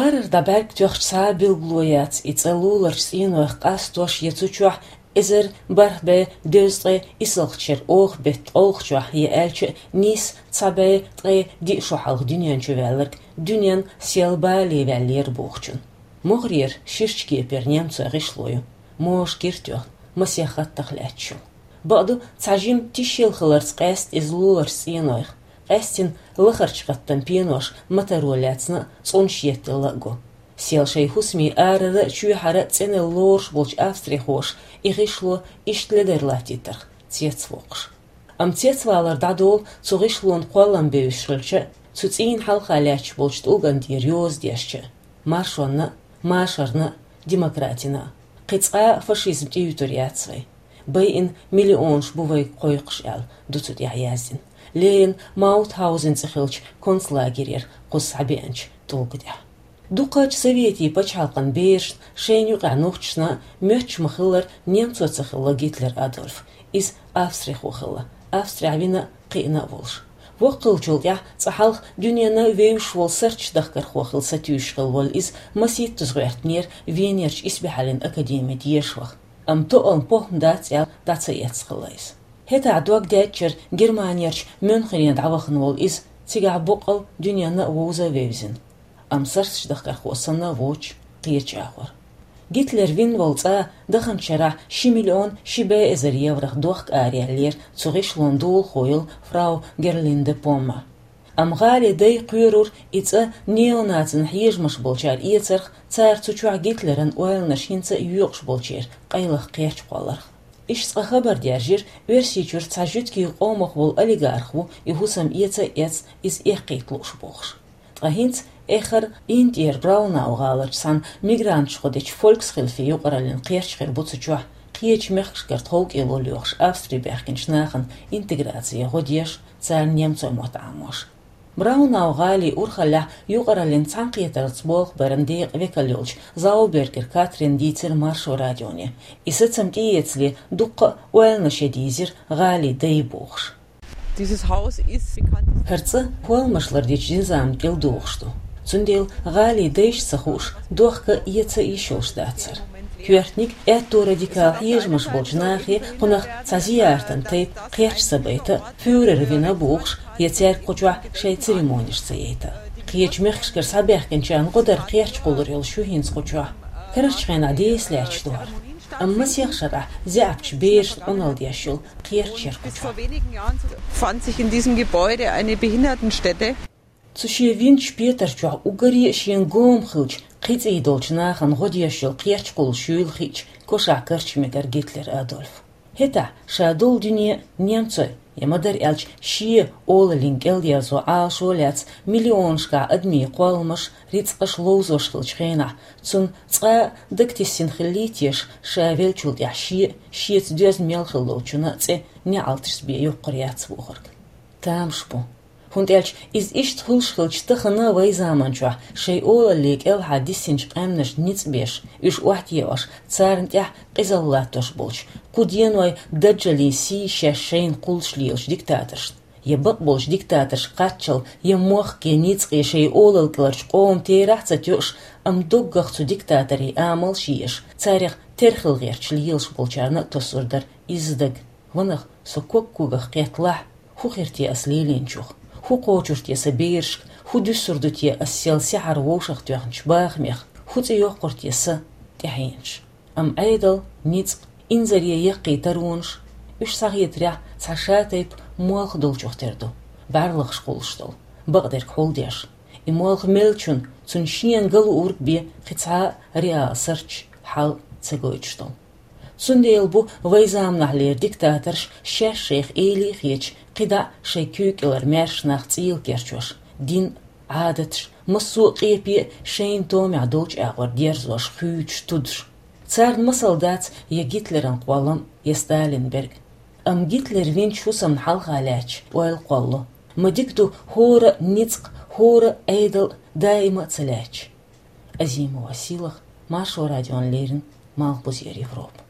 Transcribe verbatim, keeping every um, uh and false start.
Арара дӀабӀаргтоьхча цхьа а билгало яц, и цӀа луларча цӀенойх къастош я цу чохь эзар бархӀ бӀе дезткъе исалгӀачу шеран оха беттан ткъолгӀачохь я аьлча а нийсса цхьа бӀе ткъе диъ шо хьалха дуьнен чу ваьлларг дуьненна сел бале ваьллера бохучун. МогӀарера ширачу кепара немцойн гӀишло ю, можа кира тоьхна, масех хаттах лаьтташ йолу. Бакъду, цхьа жима тишъелла хиларца къаьста иза луларчу цӀенойх, къаьстина лахарчу хаттан пенош матаро лаьцна а, цӀунаш етталла а го. Сел шайн хӀусаме арара а, чоьхьара а цӀенъелла лоруш болчу австрихоша и гӀишло иштта ледара латтийтарх цецвоккхуш. Амма цецвалар дӀадолу цу гӀишлонан кхоллам бевзаш хилча а, цу цӀийнан хьалха лаьтташ болчу тӀулган тӀера йоза дешча а, маршонна а, машарна а, демократина а, кхин цкъа а фашизм тӀеюьтур яц вай. Байина миллионаш бу вайга кхойкхуш аьлла ду цу тӀехь яздина, леррина Маутхаузен цӀе хиллачу концлагерера кхуза схьабеанчу тӀулга тӀехь. Дукхачу советийн пачхьалкхан берашна, шайна юкъахь нохчашна а моьттуш ма-хиллара немцо ца хилла Гитлер Адольф, иза австрихо хилла, Австрехь вина а, кхиъна а волуш. Воккха хиллачул тӀаьхьа цкъа хьалха дуьненна вевзаш волу сарчаш дахкархо хилла сатуьйсуш хилла волу иза масийттаза гӀоьртинера Венерчу исбаьхьаллин академин дешах. Амма тоъал похӀма дац аьлла, дӀа ца эцна хилла иза. ХӀетахь дог даьдчара Германерчу Мюнхене дӀавахана волу иза, цигахь боккъал дуьненна а вовза а вевзина. Амма сарчаш дахкархо санна а воцуш, кхечу а хӀора. Гитлер вина волу цӀа даханчу шарахь ши миллион ши бӀе эзар еврох дохка араеллера цу гӀишлонан долахо йолу фрау Герлинде Помма. Амма гӀали дай кхоьрура и цӀа неонацийн хьежамаш болчара эцарх, цара цу чохь Гитлеран ойланаш хӀинца а йоькъуш болчеран къайлаха кхерч кхолларх. Иштта цкъа хабар даьржира, Оьрсийчуьра цхьа жуьгтийн къомах волу олигарх ву, и хӀусам эца а эцна, иза эккхийта лууш бохуш. Ткъа хӀинца эххар Интера Браунау гӀаларчу цхьана мигранташа гӀо дечу Фольксхильфе юкъараллин кхерч хир бу цу чохь, кхечу мехкашкара тховкӀело лоьхуш Австри баьхкинчу нахана интеграцин гӀо деш, царна немцойн мотт Ӏамош. Браунау гӀалин урхаллехь юкъараллин цхьаьнакхетаралц болх баран декъан векал йолчу Заубергер Катрина дийцира Маршо радионе. И сацам тӀеэцале дуккха а ойланаш ян дийзира гӀалин дай бохуш. Dieses Haus ist bekannt. ХӀара цӀа кхолламаш лардечу низамна кӀел догӀуш ду. Цундела гӀалин дайшна ца хууш, дохка эца а йиш йолуш дац хӀара. Коьртаниг аьтто радикал хьежамаш болчу нахе кхунах цхьа зияртан тайпа кхерч ца байта а, фюрер вина а бохуш, я цаьрга кху чохь шайн церемонеш ца яйта а. Кхечу мехкашкара схьабаьхкинчарна гӀо дар кхерч кхуллур йолуш ю хӀинца кху чохь. Карарчу хенахь деса лаьтташ ду хӀара. Амма масех шарахь заьӀапчу берашна Ӏуналла деш йолу кхерч яра кху чохь. Vor wenigen Jahren fand sich in diesem Gebäude eine Behindertenstätte. Цу шен винчу петар чохь уггаре а шена гома хиллачу кхин цӀий долчу нахана гӀо деш йолу кхерч кхуллуш юйла хиъча, кошахь карча мегара Гитлер Адольф. ХӀетахь ша долу дуьне а немцойн, я ма-дарра аьлча, шен олаллин кӀелдерзо Ӏалашо а лаьцна, миллионашкахь адамийн кхолламаш, рицкъаш ловзош хиллачу хенахь, цунна цкъа а дагатессина хиллий теша, ша веллачул тӀаьхьа шен а, шеца доьзна мел хилла долчунна а цӀе неӀалташца бен йоккхур яц бохург. Тамаш бу. ХӀунда аьлча иза иштта хуьлуш хилча, тахана вайн заман чохь шайн олалле кӀелхьардиссинчу къаьмнашна ницкъ беш, уьш охьатаьӀаш, царна тӀехь къизалла латтош болчу, кху денойн даджаллин сий шаьш шайна кхуллуш лелачу диктаторшна, я бакъболчу диктаторшка кхаччалла, я мохк, я ницкъ, я шайн олалла кӀеларчу къоман терахь а ца тоьуш, амма доггах цу диктаторийн амалш еш, царех терхал гӀерташ лелаш болчарна а тосур дара изза дага. Ванах, со ког-когах кхетта лахь, хӀун хир те ас лелийначух, хӀун кхочур те сан берашка, хӀун дуьсур ду те ас сел сехьара вовшах тоьхначу бахамех, хӀун цӀе йоккхур те сан тӀаьхьенаш. Амма Ӏедал, ницкъ, инзаре яккхий таронаш, уьш схьахетарехь, цхьа шатайпа молха долчух тера ду, бӀаьрлагӀаш кхуллуш долу, бакъдерг хьулдеш. И молха меллачунна, цунна шена ган луург бен кхин цхьа а реал сарч, хьал ца гойтуш долу. Цундела бу вайн заманахьлера диктаторш шаьш шайх эли а хеташ, кхидӀа а шайн куьйга кӀелара маьрша нах цӀийла керчош, дин а, Ӏадаташ а, массо а къепе а шайна томехь долчу агӀор дерзош, хуьйцуш, тудуш. Царна масал дац я Гитлеран кхоллам, я Сталинберг. Амма Гитлер винчу хӀусамна хьалха лаьттачу ойла кхолло. Ма дика ду хӀора а ницкъ, хӀора а Ӏедал даима а ца лаьтташ. Азимова Сийлаха, Маршо радиона леррина, Малхбузера Европа.